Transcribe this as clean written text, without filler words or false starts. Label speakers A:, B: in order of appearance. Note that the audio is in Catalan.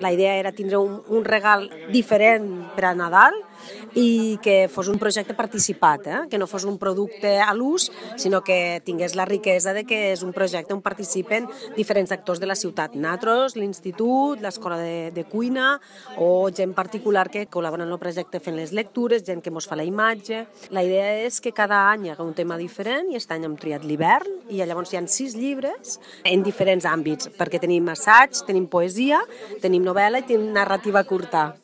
A: La idea era tindre un regal diferent per a Nadal i que fos un projecte participat, que no fos un producte a l'ús, sinó que tingués la riquesa de que és un projecte on participen diferents actors de la ciutat. Nosaltres, l'institut, l'escola de cuina o gent particular que col·labora en el projecte fent les lectures, gent que mos fa la imatge. La idea és que cada any hi haga un tema diferent i aquest any hem triat l'hivern i llavors hi ha 6 llibres en diferents àmbits, perquè tenim assaig, tenim poesia, tenim novel·la i tenim narrativa curta.